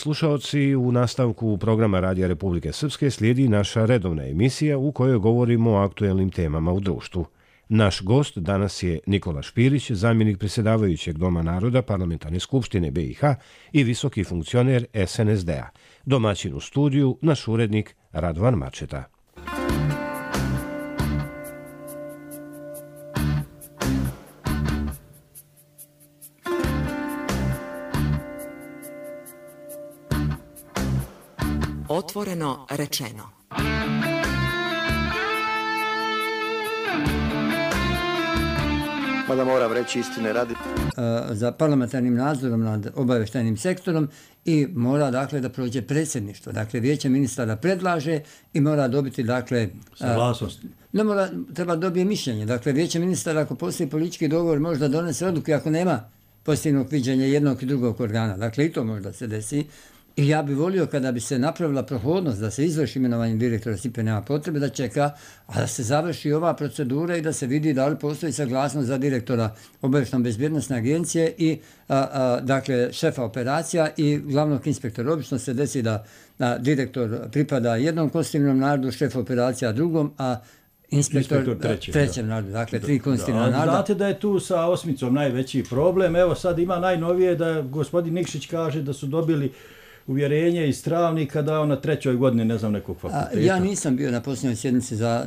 slušaoci, u nastavku programa Radija Republike Srpske slijedi naša redovna emisija u kojoj govorimo o aktuelnim temama u društvu. Naš gost danas je Nikola Špirić, zamjenik predsjedavajućeg Doma naroda Parlamentarne skupštine BiH i visoki funkcioner SNSD-a. Domaćin u studiju, naš urednik Radovan Mačeta. Otvoreno rečeno. Mada moram reći istine radi. Za parlamentarnim nadzorom nad obavještajnim sektorom i mora dakle da prođe predsjedništvo. Dakle, vijeće ministara predlaže i mora dobiti dakle saglasnost. Ne mora, treba dobije mišljenje. Dakle, vijeće ministara ako postoji politički dogovor može da donese odluke ako nema pozitivnog viđenja jednog i drugog organa. Dakle, i to možda se desi. I ja bih volio kada bi se napravila prohodnost da se izvrši imenovanje direktora SIPA, nema potrebe da čeka, a da se završi ova procedura i da se vidi da li postoji saglasnost za direktora obavještajno-bezbjednosne agencije i dakle šefa operacija i glavnog inspektora. Obično se desi da direktor pripada jednom konstitutivnom narodu, šef operacija drugom, a inspektor trećem narodu, dakle tri konstitutivna naroda. Znate da je tu sa osmicom najveći problem. Evo sad ima najnovije da gospodin Nikšić kaže da su dobili uvjerenje iz Travnika da on na 3. godini ne znam nekog fakulteta. Ja nisam bio na posljednjoj sjednici za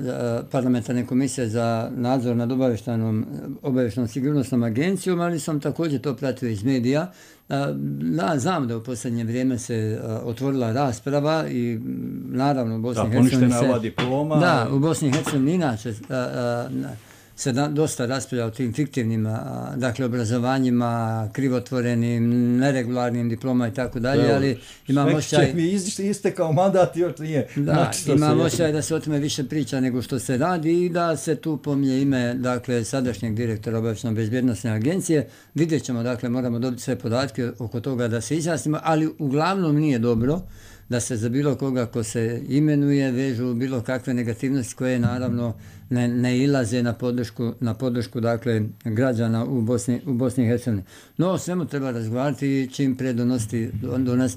parlamentarne komisije za nadzor nad obavještajnom sigurnosnom agencijom, ali sam također to pratio iz medija. Znam da u posljednje vrijeme se otvorila rasprava i naravno u Bosni i Hercegovini poništena ova diploma. Da, u Bosni i Hercegovini inače se dosta raspravlja o tim fiktivnim dakle, obrazovanjima, krivotvorenim, neregularnim diploma i tako dalje, ali imam osjećaj... Mi istekao mandat i još nije. Da, imam osjećaj da se o tome više priča nego što se radi i da se tu pominje ime dakle, sadašnjeg direktora obavještajno-bezbjednosne agencije. Vidjet ćemo, dakle, moramo dobiti sve podatke oko toga da se izjasnimo, ali uglavnom nije dobro da se za bilo koga ko se imenuje vežu bilo kakve negativnosti koje naravno ne ilaze na podršku dakle, građana u Bosni i Hercegovini. No, o svemu treba razgovarati i čim pre donositi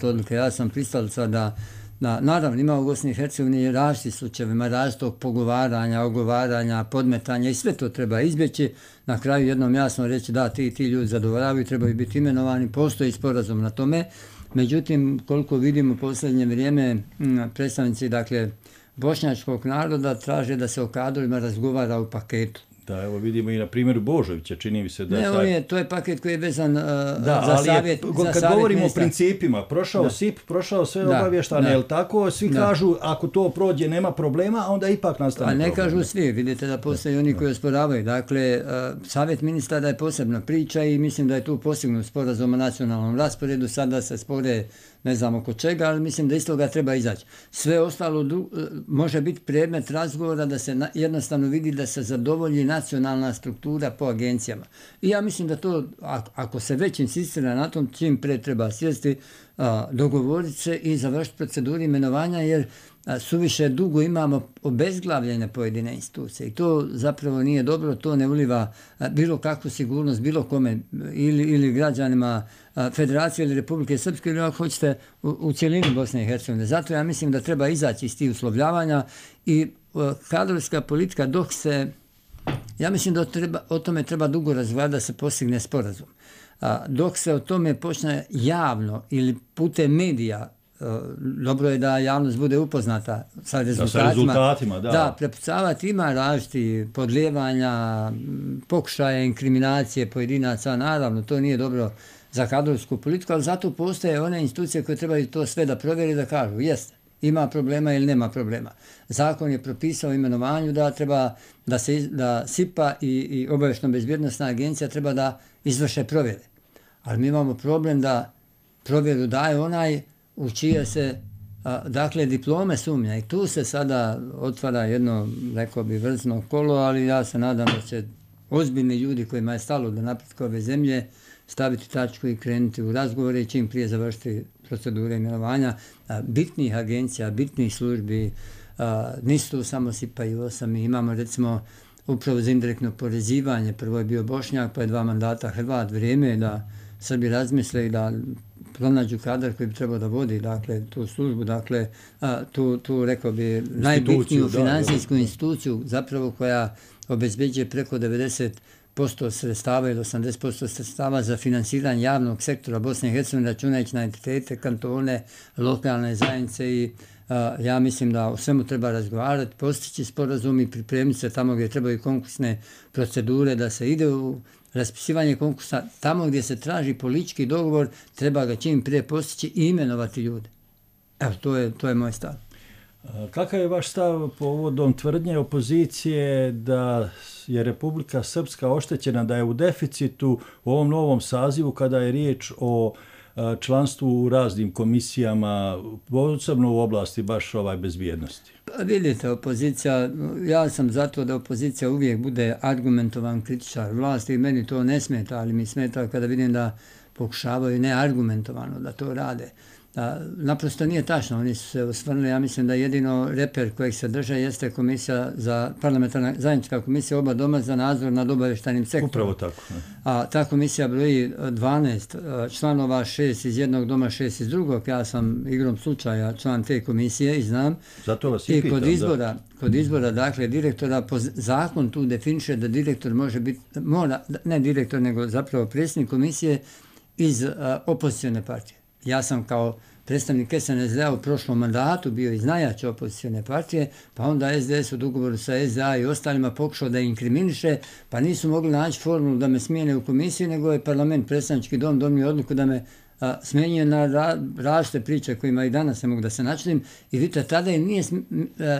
odluke. Ja sam pristalica da naravno ima u Bosni i Hercegovini različitih slučajevima, različitog pogovaranja, ogovaranja, podmetanja i sve to treba izbjeći. Na kraju jednom jasno reći da ti ljudi zadovoljavaju, trebaju biti imenovani, postoji sporazum na tome. Međutim, koliko vidimo u posljednje vrijeme, predstavnici dakle, bošnjačkog naroda traže da se o kadrovima razgovara u paketu. Da, evo vidimo i na primjeru Božovića, čini mi se da je... To je paket koji je vezan za savjet. Kad govorimo o principima, prošao SIP, prošao sve obavještane, jel tako? Svi kažu, ako to prođe, nema problema, a onda ipak nastane problem. A ne kažu svi, vidite da postoje oni koji osporavaju. Dakle, savjet ministara je posebna priča i mislim da je tu postignut sporazum o nacionalnom rasporedu, sada se spore ne znam oko čega, ali mislim da iz toga treba izaći. Sve ostalo može biti predmet razgovora da se jednostavno vidi da se zadovolji nacionalna struktura po agencijama. I ja mislim da to, ako se već insistira na tom, čim pre treba sjesti, dogovoriti se i završiti proceduru imenovanja, jer suviše dugo imamo obezglavljene pojedine institucije i to zapravo nije dobro, to ne uliva bilo kakvu sigurnost bilo kome ili građanima Federacije ili Republike Srpske ili ako hoćete u cjelini Bosne i Hercegovine. Zato ja mislim da treba izaći iz tih uslovljavanja i kadrovska politika dok se, ja mislim da o tome treba dugo razgovarati da se postigne sporazum. Dok se o tome počne javno ili putem medija, dobro je da javnost bude upoznata sa rezultatima. Da, prepucavati ima različiti podlijevanja, pokušaje inkriminacije pojedinaca, naravno, to nije dobro za kadrovsku politiku, ali zato postoje one institucije koje trebaju to sve da provjeri da kažu, jeste, ima problema ili nema problema. Zakon je propisao imenovanju da treba da SIPA i obavještajno-bezbjednosna agencija treba da izvrše provjere. Ali mi imamo problem da provjeru daje onaj u čije se dakle diplome sumnja i tu se sada otvara jedno, rekao bi, vrzno kolo, ali ja se nadam da će ozbiljni ljudi kojima je stalo do napretka ove zemlje staviti tačku i krenuti u razgovore i čim prije završiti procedure imenovanja bitnih agencija, bitnih službi. Nisu tu samo SIPA i OSA, mi imamo recimo upravo za indirektno porezivanje, prvo je bio Bošnjak, pa je 2 mandata Hrvat, vrijeme je da Srbi razmisle i da pronađu kadar koji bi trebao da vodi, dakle, tu službu, dakle, tu rekao bi, najbitniju finansijsku instituciju, zapravo koja obezbeđuje preko 90% sredstava ili 80% sredstava za finansiranje javnog sektora Bosne i Hercegovine, računajući na entitete, kantone, lokalne zajednice i ja mislim da o svemu treba razgovarati, postići sporazum i pripremiti se tamo gdje trebaju konkursne procedure, da se ide u raspisivanje konkursa, tamo gdje se traži politički dogovor, treba ga čim prije postići i imenovati ljude. Evo, to je moj stav. Kakav je vaš stav povodom tvrdnje opozicije da je Republika Srpska oštećena, da je u deficitu u ovom novom sazivu kada je riječ o članstvu u raznim komisijama, posebno u oblasti baš bezbjednosti? Vidite, opozicija, ja sam zato da opozicija uvijek bude argumentovan kritičar vlasti i meni to ne smeta, ali mi smeta kada vidim da pokušavaju neargumentovano da to rade. Naprosto nije tačno, oni su se osvrnuli, ja mislim da jedino reper kojeg se drže jeste komisija za parlamentarna zajednička komisija oba doma za nadzor nad obavještajnim sektorom. Upravo tako. A ta komisija broji 12 članova, 6 iz jednog doma, 6 iz drugog. Ja sam igrom slučaja član te komisije i znam. Zato vas i pitam, kod izbora, dakle, direktora, zakon tu definiše da direktor može biti, ne direktor, nego zapravo predsjednik komisije iz opozicione partije. Ja sam kao predstavnik SNSD-a u prošlom mandatu bio iz najjače opozicione partije, pa onda SDS u dogovoru sa SDA i ostalima pokušao da inkriminiše, pa nisu mogli naći formulu da me smijene u komisiji, nego je parlament, predstavnički dom, donio odluku da me smenjuje na različite priče kojima i danas ne mogu da se načudim. I vidite, tada im nije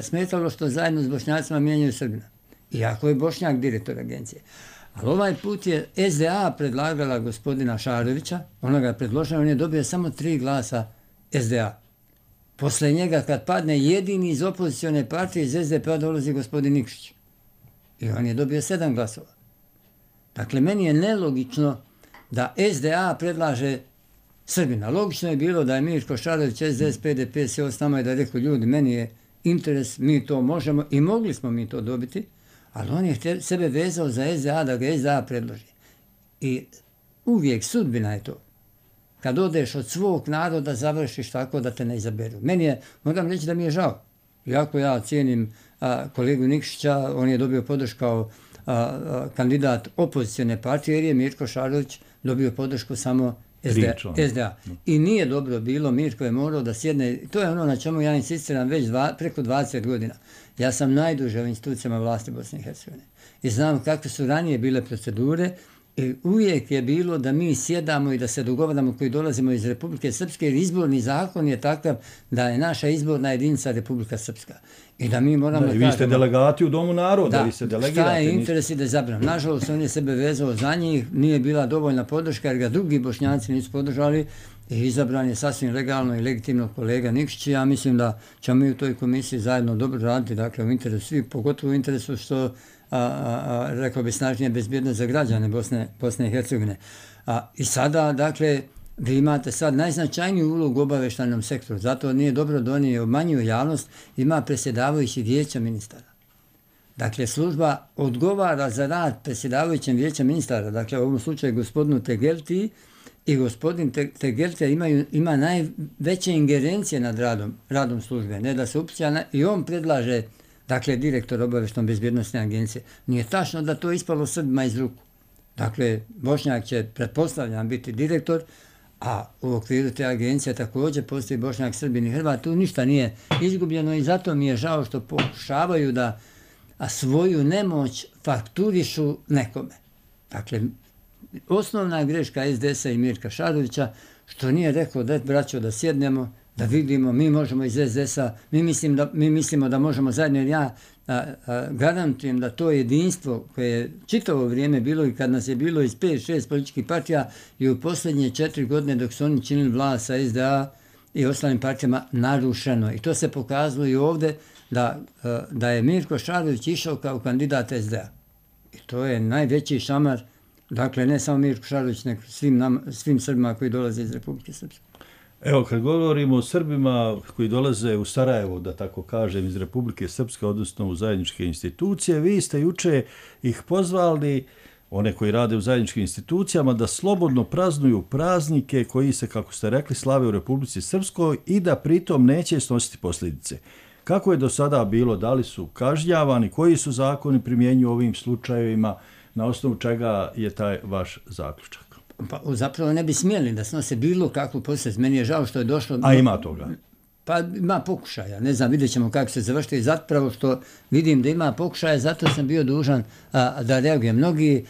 smetalo što zajedno s Bošnjacima mijenjaju Srbina. Iako je Bošnjak direktor agencije. Ali ovaj put je SDA predlagala gospodina Šarovića, ona ga je predložila, on je dobio samo 3 glasa SDA. Posle njega kad padne jedini iz opozicione partije iz SDP-a dolazi gospodin Nikšić. I on je dobio 7 glasova. Dakle, meni je nelogično da SDA predlaže Srbina. Logično je bilo da je Mirko Šarović, SDS, PDP, sjeo s nama i da je rekao, ljudi, meni je interes, mi to možemo i mogli smo mi to dobiti, ali on je sebe vezao za SDA da ga SDA predloži. I uvijek sudbina je to. Kad odeš od svog naroda, završiš tako da te ne izaberu. Meni je, moram reći da mi je žao. Iako ja cijenim kolegu Nikšića, on je dobio podršku kao kandidat opozicione partije, jer je Mirko Šarović dobio podršku samo SDA. I nije dobro bilo, Mirko je morao da sjedne, to je ono na čemu ja insistiram već preko 20 godina. Ja sam najduže u institucijama vlasti Bosne i Hercegovine. I znam kakve su ranije bile procedure i uvijek je bilo da mi sjedamo i da se dogovaramo koji dolazimo iz Republike Srpske, jer izborni zakon je takav da je naša izborna jedinica Republika Srpska. I da mi moramo da kažemo... Vi ste delegati u Domu naroda, vi se delegirate. Šta je interes i da zabram. Nažalost, on je sebe vezao za njih, nije bila dovoljna podrška jer ga drugi Bošnjaci nisu podržali i izabran je sasvim legalno i legitimno kolega Nikšić. Ja mislim da ćemo mi u toj komisiji zajedno dobro raditi, dakle u interesu svih, pogotovo u interesu što rekao bi snažnije bezbjednost za građane Bosne i Hercegovine. I sada, dakle, vi imate sad najznačajniju ulogu u obavještajnom sektoru, zato nije dobro da oni obmanjuju javnost, ima predsjedavajući vijeća ministara. Dakle, služba odgovara za rad predsjedavajućem vijeća ministara, dakle u ovom slučaju gospodinu Tegelti, i gospodin Tegelti ima najveće ingerencije nad radom službe, ne da se upića, i on predlaže, dakle, direktor obavještajno bezbjednosne agencije. Nije tačno da to ispalo Srbima iz ruku. Dakle, Bošnjak će, pretpostavljam, biti direktor, a u okviru te agencije također postoji Bošnjak, Srbin i Hrvat. Tu ništa nije izgubljeno i zato mi je žao što pokušavaju da svoju nemoć fakturišu nekome. Dakle, osnovna greška SDS-a i Mirka Šarovića što nije rekao da braćo da sjednemo, da vidimo, mi možemo iz SDS-a, mi mislimo da možemo zajedno, jer ja garantujem da to jedinstvo koje je čitavo vrijeme bilo i kad nas je bilo iz 5-6 političkih partija i u posljednje 4 godine dok su oni činili vlast sa SDA i ostalim partijama narušeno. I to se pokazalo i ovdje da je Mirko Šarović išao kao kandidat SDA. I to je najveći šamar, dakle ne samo Mirko Šarović, nego svim Srbima koji dolaze iz Republike Srpske. Evo, kad govorimo o Srbima koji dolaze u Sarajevo, da tako kažem, iz Republike Srpske, odnosno u zajedničke institucije, vi ste juče ih pozvali one koji rade u zajedničkim institucijama, da slobodno praznuju praznike koji se, kako ste rekli, slave u Republici Srpskoj i da pritom neće snositi posljedice. Kako je do sada bilo? Da li su kažnjavani? Koji su zakoni primjenjuju u ovim slučajevima? Na osnovu čega je taj vaš zaključak? Pa zapravo ne bi smjeli da snose bilo kakvu posljedicu. Meni je žao što je došlo... A ima toga? Pa ima pokušaja, ne znam, vidjet ćemo kako se završiti i zapravo što vidim da ima pokušaja, zato sam bio dužan da reagujem. Mnogi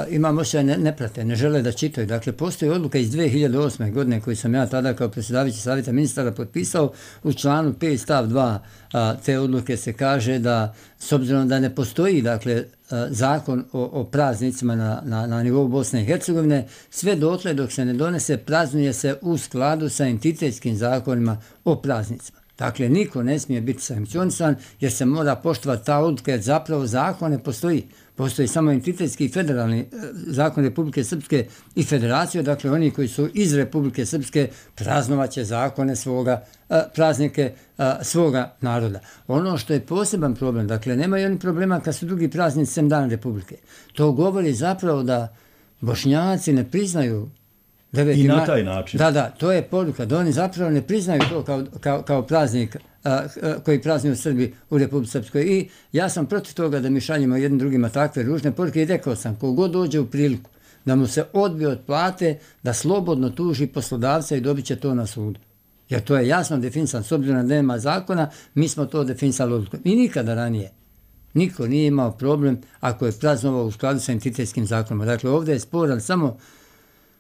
imam osjećaj ne prate, ne žele da čitaju. Dakle, postoji odluka iz 2008. godine koju sam ja tada kao predsjedavajući savjeta ministara potpisao. U članu 5 stav 2 te odluke se kaže da s obzirom da ne postoji dakle, zakon o praznicima na nivou Bosne i Hercegovine, sve dotle dok se ne donese praznuje se u skladu sa entitetskim zakonima o praznicima. Dakle, niko ne smije biti sankcionisan jer se mora poštovati ta odluka jer zapravo zakon ne postoji. Postoji samo entitetski i federalni zakon Republike Srpske i federacije, dakle oni koji su iz Republike Srpske praznovaće zakone svoga, praznike svoga naroda. Ono što je poseban problem, dakle nemaju oni problema kad su drugi praznici sem Dan Republike. To govori zapravo da Bošnjaci ne priznaju i na taj način. Da, to je poruka, da oni zapravo ne priznaju to kao praznik koji praznuju Srbi u Republici Srpskoj. I ja sam protiv toga da mi šaljemo jednim drugima takve ružne poruke i rekao sam, kogod dođe u priliku da mu se odbije od plate, da slobodno tuži poslodavca i dobit će to na sudu. Jer to je jasno definisano, s obzirom da nema zakona, mi smo to definisali odlukom. I nikada ranije niko nije imao problem ako je praznovao u skladu sa entitetskim zakonom. Dakle, ovdje je sporan samo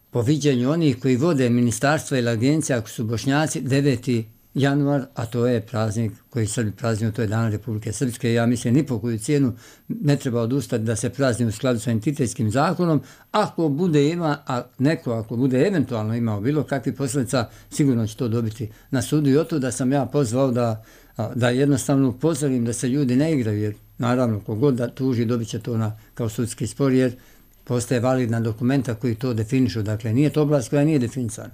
po viđenju onih koji vode ministarstva ili agencije, ako su Bošnjaci, 9. januar, a to je praznik koji Srbi praznuju, to je Dan Republike Srpske. Ja mislim, ni po koju cijenu ne treba odustati da se prazni u skladu sa entitetskim zakonom. Ako bude ima, a neko ako bude eventualno imao bilo kakvih posljedica, sigurno će to dobiti na sudu. I oto da sam ja pozvao da jednostavno upozorim da se ljudi ne igraju, jer naravno kogod da tuži dobit će to kao sudski spor, jer postoje validna dokumenta koji to definišu. Dakle, nije to oblast koja nije definisana.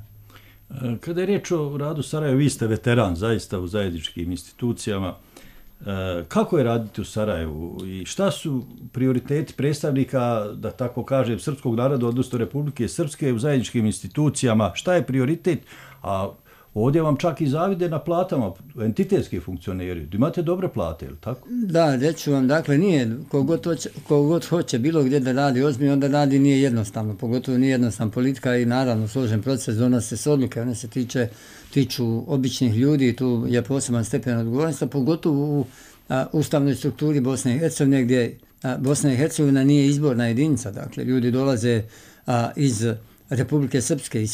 Kada je riječ o radu Sarajeva, vi ste veteran zaista u zajedničkim institucijama. Kako je raditi u Sarajevu i šta su prioriteti predstavnika, da tako kažem, srpskog naroda, odnosno Republike Srpske u zajedničkim institucijama? Šta je prioritet? A ovdje vam čak i zavide na platama, entitetski funkcioneri. Imate dobre plate, ili tako? Da, reću vam, dakle, nije, kogod hoće bilo gdje da radi ozbiljno, onda radi nije jednostavno, pogotovo nije jednostavna politika i naravno složen proces, donose se odluke, one se tiču običnih ljudi i tu je poseban stepen odgovornosti, pogotovo u ustavnoj strukturi Bosne i Hercegovine, gdje Bosna i Hercegovina nije izborna jedinica, dakle, ljudi dolaze iz Republike Srpske,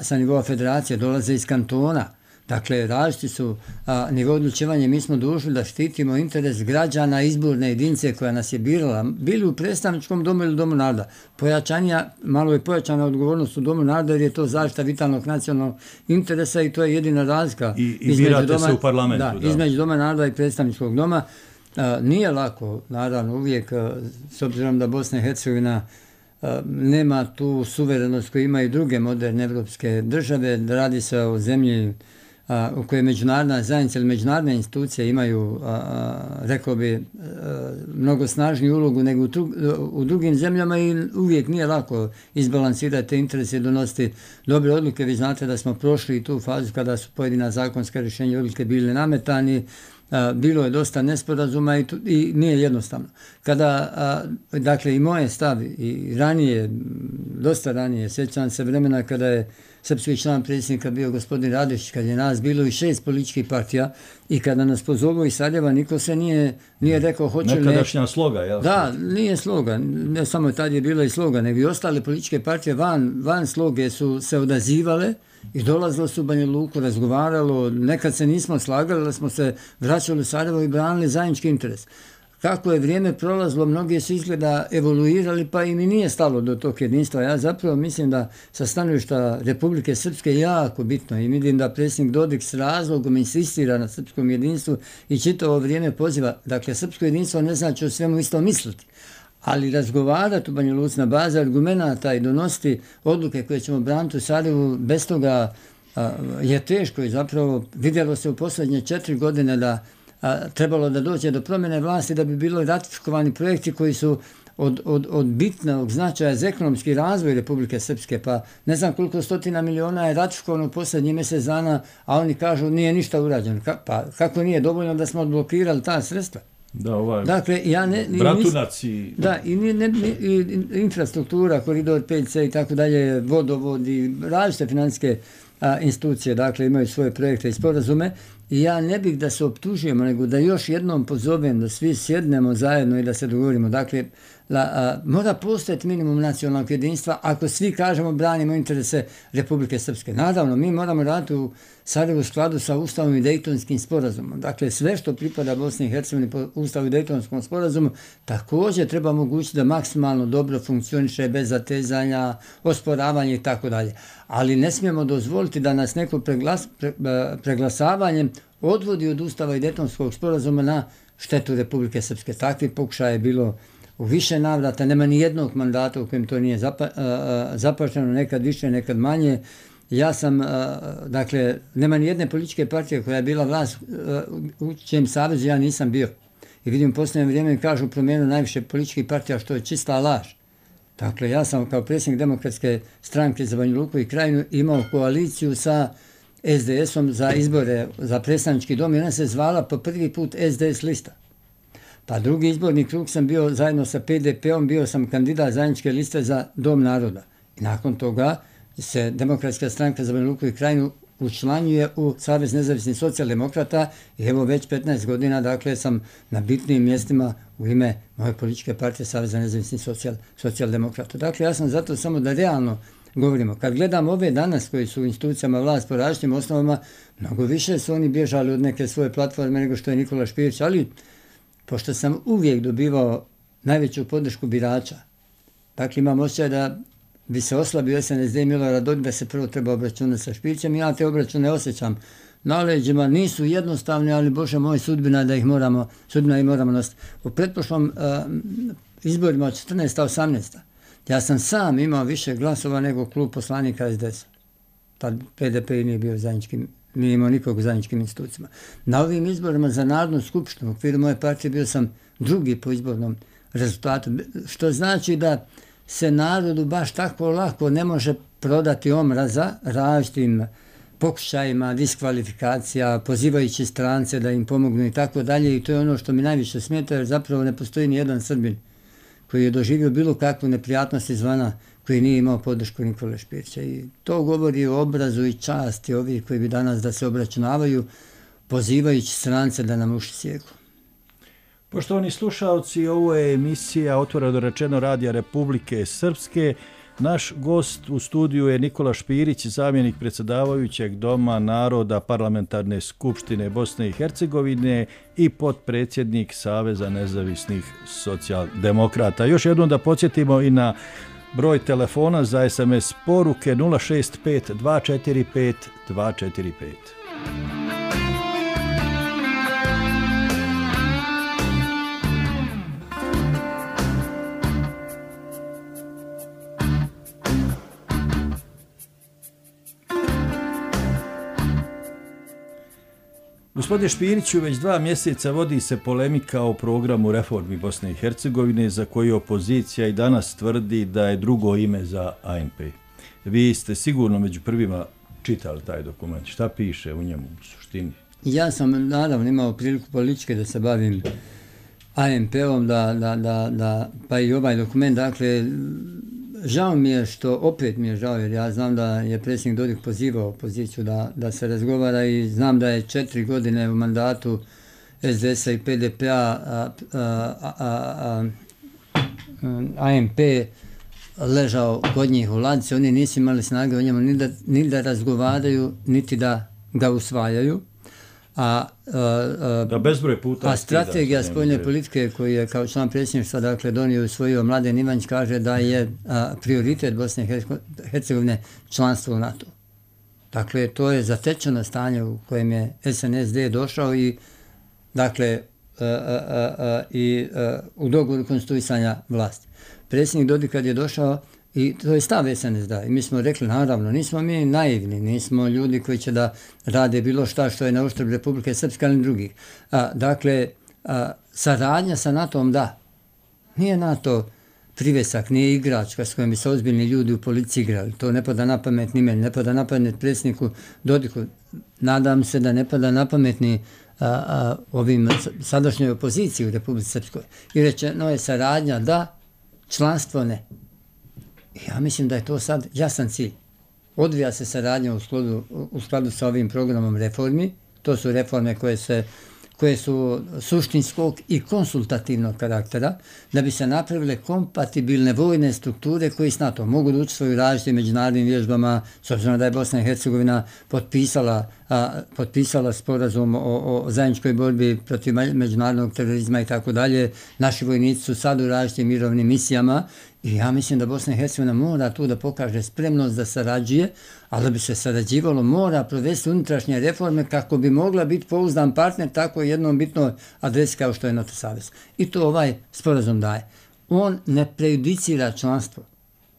sa nivoa federacije, dolaze iz kantona. Dakle, različiti su nivo odlučivanja. Mi smo dužni da štitimo interes građana izborne jedinice koja nas je birala, bili u predstavničkom domu ili domu naroda. Malo je pojačana odgovornost u domu naroda jer je to zaštita vitalnog nacionalnog interesa i to je jedina razlika. I birate se u parlamentu. Da, između doma naroda i predstavničkog doma. Nije lako, naravno, uvijek, s obzirom da Bosna i Hercegovina nema tu suverenost koju imaju druge moderne evropske države, da radi se o zemlji u kojoj međunarodna zajednica ili međunarodne institucije imaju, rekao bi, mnogo snažniju ulogu nego u drugim zemljama i uvijek nije lako izbalansirati te interese i donositi dobre odluke. Vi znate da smo prošli tu fazu kada su pojedina zakonska rješenja odluke bili nametani, bilo je dosta nesporazuma i nije jednostavno. Dakle, i moje stav i ranije, dosta ranije, sjećam se vremena kada je srpski član predsjednika bio gospodin Radošić, kad je nas bilo i 6 političkih partija i kada nas pozovu iz Sarajeva, niko se nije rekao hoće li... Nekadašnja sloga, jel? Da, nije sloga, ne samo tad je bila i sloga, nego i ostale političke partije van sloge su se odazivale i dolazilo su u Banja Luku, razgovaralo, nekad se nismo slagali, ali smo se vraćali u Sarajevo i branili zajednički interes. Kako je vrijeme prolazilo, mnogi su izgleda evoluirali, pa im i nije stalo do tog jedinstva. Ja zapravo mislim da sa stanovišta Republike Srpske je jako bitno i vidim da predsjednik Dodik s razlogom insistira na srpskom jedinstvu i čitavo vrijeme poziva. Dakle, srpsko jedinstvo ne znači o svemu isto misliti, ali razgovarati u Banja Luci na bazi argumenata i donositi odluke koje ćemo braniti u Sarajevu, bez toga je teško i zapravo vidjelo se u posljednje 4 godine da trebalo da dođe do promjene vlasti da bi bilo ratifikovani projekti koji su od bitnog značaja za ekonomski razvoj Republike Srpske, pa ne znam koliko stotina miliona je ratifikovano u posljednjih mjesec dana, a oni kažu nije ništa urađeno. Pa kako nije dovoljno da smo odblokirali ta sredstva? Da, ovaj dakle, Bratunac i... Da, i infrastruktura, koridor 5C i tako dalje, vodovod i različite financijske institucije, dakle, imaju svoje projekte i sporazume. I ja ne bih da se optužujemo, nego da još jednom pozovem da svi sjednemo zajedno i da se dogovorimo. Dakle, mora postojati minimum nacionalnog jedinstva ako svi kažemo branimo interese Republike Srpske. Naravno, mi moramo raditi u Sarajevu u skladu sa Ustavom i Dejtonskim sporazumom. Dakle, sve što pripada Bosni i Hercegovini po Ustavu i Dejtonskom sporazumu također treba omogućiti da maksimalno dobro funkcioniše bez zatezanja, osporavanja i tako dalje. Ali ne smijemo dozvoliti da nas neko preglasavanjem odvodi od Ustava i Dejtonskog sporazuma na štetu Republike Srpske. Takvi pokušaje je bilo u više navrata, nema ni jednog mandata u kojem to nije zapašteno, nekad više, nekad manje. Ja sam, dakle, nema ni jedne političke partije koja je bila vlast u čijem savezu ja nisam bio. I vidim u posljednje vrijeme kažu promjenu najviše političkih partija što je čista laž. Dakle, ja sam kao predsjednik Demokratske stranke za Banja Luku i Krajinu imao koaliciju sa SDS-om za izbore za predstavnički dom i ona se zvala po prvi put SDS lista. Pa drugi izborni krug sam bio zajedno sa PDP-om, bio sam kandidat zajedničke liste za Dom naroda. I nakon toga se Demokratska stranka za Banja Luku i Krajinu učlanjuje u Savez nezavisnih socijaldemokrata i evo već 15 godina, dakle, sam na bitnim mjestima u ime moje političke partije Saveza nezavisnih socijaldemokrata. Dakle, ja sam zato samo da realno govorimo. Kad gledam ove danas koji su u institucijama vlast po različitim osnovama, mnogo više su oni bježali od neke svoje platforme nego što je Nikola Špirić, ali pošto sam uvijek dobivao najveću podršku birača, dakle imam osjećaj da bi se oslabio SNSD i Milorad Dodik da se prvo treba obračunati sa Špirićem. Ja te obračune osjećam na leđima, nisu jednostavni, ali Bože moj, sudbina ih moramo nositi. U pretprošlom izborima od 14-18. ja sam sam imao više glasova nego klub poslanika SDS-a. Tad PDP nije bio zajedničkim, nije imao nikog u zajedničkim institucijama. Na ovim izborima za Narodnu skupštinu u okviru moje partije bio sam drugi po izbornom rezultatu, što znači da se narodu baš tako lako ne može prodati omraza različitim pokušajima, diskvalifikacija, pozivajući strance da im pomognu i tako dalje. I to je ono što mi najviše smeta, jer zapravo ne postoji ni jedan Srbin koji je doživio bilo kakvu neprijatnost izvana, koji nije imao podršku Nikole Špirića. I to govori o obrazu i časti ovih koji bi danas da se obračunavaju, pozivajući strance da nam uši sjeku. Poštovani slušalci, ovo je emisija Otvoreno rečeno Radija Republike Srpske. Naš gost u studiju je Nikola Špirić, zamjenik predsjedavajućeg Doma naroda Parlamentarne skupštine Bosne i Hercegovine i potpredsjednik Saveza nezavisnih socijaldemokrata. Još jednom da podsjetimo i na broj telefona za SMS poruke 065 245 245. Gospodine Špiriću, već 2 mjeseca vodi se polemika o programu reformi Bosne i Hercegovine za koju opozicija i danas tvrdi da je drugo ime za ANP. Vi ste sigurno među prvima čitali taj dokument. Šta piše u njemu u suštini? Ja sam naravno imao priliku političke da se bavim ANP-om, pa i ovaj dokument, dakle, žao mi je što, opet mi je žao, jer ja znam da je predsjednik Dodik pozivao opoziciju da se razgovara i znam da je 4 godine u mandatu SDS-a i PDP-a ANP ležao kod njih u ladici, oni nisu imali snage o njemu ni da razgovaraju, niti da ga usvajaju. A strategija spoljne politike koju je kao član predsjedništva dakle donio i usvojio Mladen Ivanić kaže da je prioritet Bosne i Hercegovine članstvo u NATO. Dakle, to je zatečeno stanje u kojem je SNSD došao i dakle u dogovoru konstituisanja vlasti. Predsjednik Dodik kad je došao, i to je stav SNSD-a. I mi smo rekli, naravno, nismo mi naivni, nismo ljudi koji će da rade bilo šta što je na uštrb Republike Srpske, ali drugih. Dakle, saradnja sa NATO-om, da. Nije NATO privesak, nije igračka s kojom bi se ozbiljni ljudi u politici igrali. To ne pada na pamet ni meni, ne pada na pamet predsjedniku Dodiku. Nadam se da ne pada na pamet ni ovim sadašnjoj opoziciji u Republici Srpskoj. I rečeno je saradnja da, članstvo ne. Ja mislim da je to sad jasan cilj. Odvija se saradnja u skladu sa ovim programom reformi. To su reforme koje su suštinskog i konsultativnog karaktera, da bi se napravile kompatibilne vojne strukture koji s NATO mogu da učestvuju u različitim međunarodnim vježbama, s obzirom da je Bosna i Hercegovina potpisala sporazum o zajedničkoj borbi protiv međunarodnog terorizma i tako dalje. Naši vojnici su sad u različitim mirovnim misijama i ja mislim da Bosna i Hercegovina mora tu da pokaže spremnost da sarađuje, ali da bi se sarađivalo mora provesti unutrašnje reforme kako bi mogla biti pouzdan partner tako jednom bitnoj adresi kao što je NATO savez. I to ovaj sporazum daje. On ne prejudicira članstvo,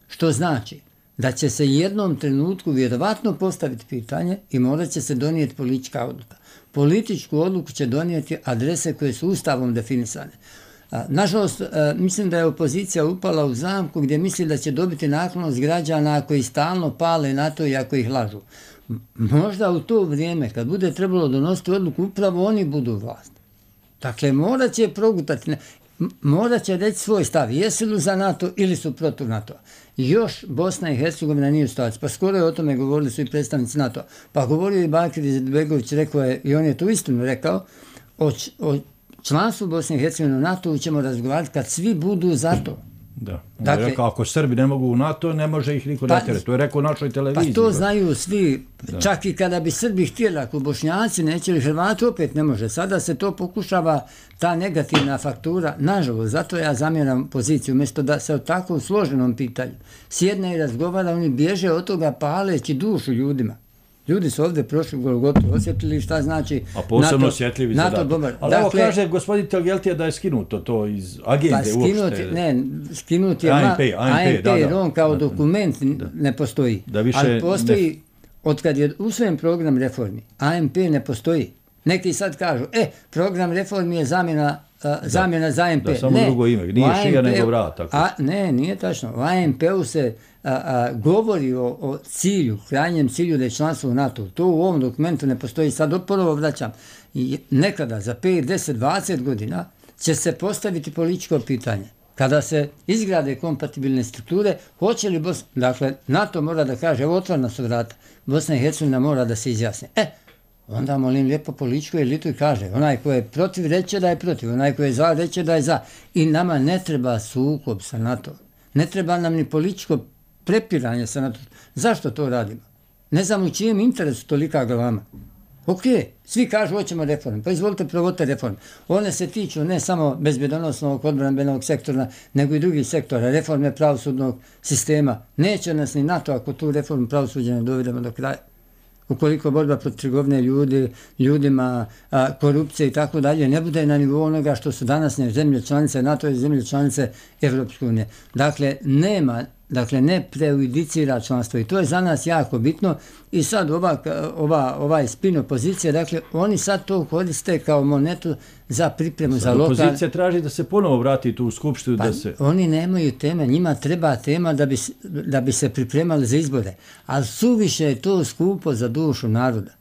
što znači da će se jednom trenutku vjerovatno postaviti pitanje i morat će se donijeti politička odluka. Političku odluku će donijeti adrese koje su ustavom definisane. Nažalost, mislim da je opozicija upala u zamku gdje misli da će dobiti naklonost građana koji stalno pale na to i ako ih lažu. Možda u to vrijeme, kad bude trebalo donositi odluku, upravo oni budu vlast. Dakle, morat će progutati, morat će reći svoj stav, jesu li za NATO ili su protiv NATO. Još Bosna i Hercegovina nije u situaciji. Pa skoro je o tome govorili su i predstavnici NATO. Pa govorio i Bakir Izetbegović, rekao je, i on je tu istinu rekao, o članstvu Bosne i Hercegovine u NATO ćemo razgovarati kad svi budu za to. Da. Dakle, rekao, ako Srbi ne mogu u NATO, ne može ih niko natjerati. To je rekao u našoj televiziji. Pa to znaju svi. Da. Čak i kada bi Srbi htjeli, ako Bošnjaci neće, ili Hrvati opet ne može. Sada se to pokušava, ta negativna faktura, nažalost, zato ja zamjeram poziciju, umjesto da se o takvom složenom pitanju sjedne i razgovara, oni bježe od toga paleći dušu ljudima. Ljudi su ovdje prošli Golgotu, osjetili šta znači a posebno osjetljivi zadatak. Ali evo kaže gospodin Telgeltija da je skinuto to iz agende uopšte. Ne, skinuti je ANP, jer on kao dokument ne postoji. Ali postoji, otkad je usvojen program reformi, ANP ne postoji. Neki sad kažu, program reformi je zamjena za ANP. Da, samo drugo ime, nije šija nego vrat. Ne, nije tačno. U ANP-u se govori o cilju, krajnjem cilju da je članstvo u NATO. To u ovom dokumentu ne postoji. Sad ponovo vraćam. Nekada, za 5, 10, 20 godina, će se postaviti političko pitanje. Kada se izgrade kompatibilne strukture, hoće li dakle, NATO mora da kaže, evo otvorena su vrata, Bosna i Hercegovina mora da se izjasne. Onda molim lijepo političku elitu i kaže, onaj ko je protiv reće da je protiv, onaj ko je za reće da je za. I nama ne treba sukob sa NATO. Ne treba nam ni političko prepiranje sa NATO. Zašto to radimo? Ne znam u čijem interesu tolika glava. Ok, svi kažu hoćemo reforme, pa izvolite provodite reforme. One se tiču ne samo bezbjedonosnog odbrambenog sektora, nego i drugih sektora, reforme pravosudnog sistema. Neće nas ni NATO ako tu reformu pravosuđa ne dovedemo do kraja. Ukoliko borba protiv trgovine ljudima, korupcije i tako dalje, ne bude na nivou onoga što su današnje zemlje članice NATO i zemlje članice Evropske unije. Dakle, ne prejudicira članstvo i to je za nas jako bitno i sad ovaj spin opozicije, dakle, oni sad to koriste kao monetu za pripremu za lokal. Opozicija traži da se ponovo vrati tu u skupštinu. Oni nemaju teme, njima treba tema da bi se pripremali za izbore, ali suviše je to skupo za dušu naroda.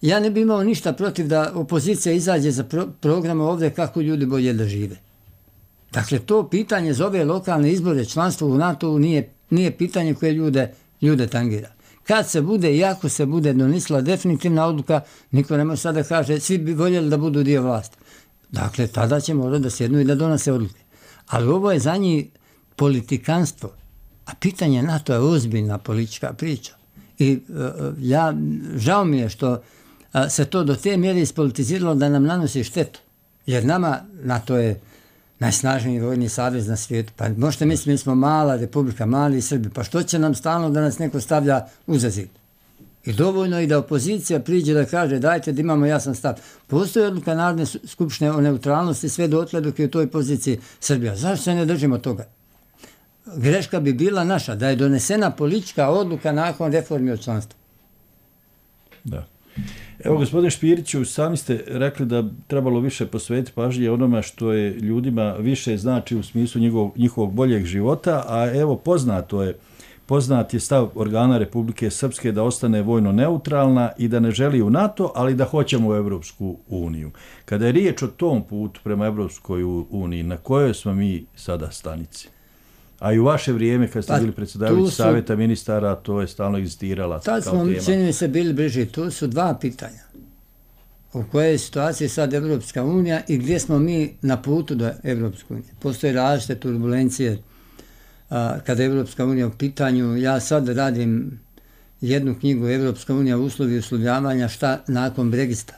Ja ne bi imao ništa protiv da opozicija izađe za programe ovdje kako ljudi bolje da žive. Dakle, to pitanje za ove lokalne izbore, članstvo u NATO-u nije pitanje koje ljude tangira. Kad se bude i ako se bude donisla definitivna odluka, niko ne može sada kaže, svi bi voljeli da budu dio vlasti. Dakle, tada će morati da sjednu i da donose odluke. Ali ovo je za njih politikanstvo, a pitanje NATO je ozbiljna politička priča. I žao mi je što se to do te mjere ispolitiziralo da nam nanosi štetu. Jer nama NATO je najsnažniji vojni savez na svijetu. Pa možete misliti, mi smo mala republika, mali Srbi. Pa što će nam stalno da nas neko stavlja uza zid? I dovoljno i da opozicija priđe da kaže dajte da imamo jasan stav. Postoji odluka Narodne skupštine o neutralnosti sve dotle dok je u toj poziciji Srbija. Zašto se ne držimo toga? Greška bi bila naša da je donesena politička odluka nakon reformi o članstvu. Da. Evo, gospodine Špiriću, sami ste rekli da trebalo više posvetiti pažnje onome što je ljudima više znači u smislu njihovog boljeg života, a evo poznat je stav organa Republike Srpske da ostane vojno neutralna i da ne želi u NATO, ali da hoćemo u Evropsku uniju. Kada je riječ o tom putu prema Evropskoj uniji, na kojoj smo mi sada stanici? A i u vaše vrijeme, kad ste bili predsjedavajući Savjeta ministara, to je stalno egzistirala kao tema. Tad smo, čini mi se, bili bliži. Tu su dva pitanja. U kojoj je situaciji sad Evropska unija i gdje smo mi na putu do Evropske unije. Postoje različite turbulencije kada je Evropska unija u pitanju. Ja sad radim jednu knjigu Evropska unija uslovi uslovljavanja šta nakon Brexita.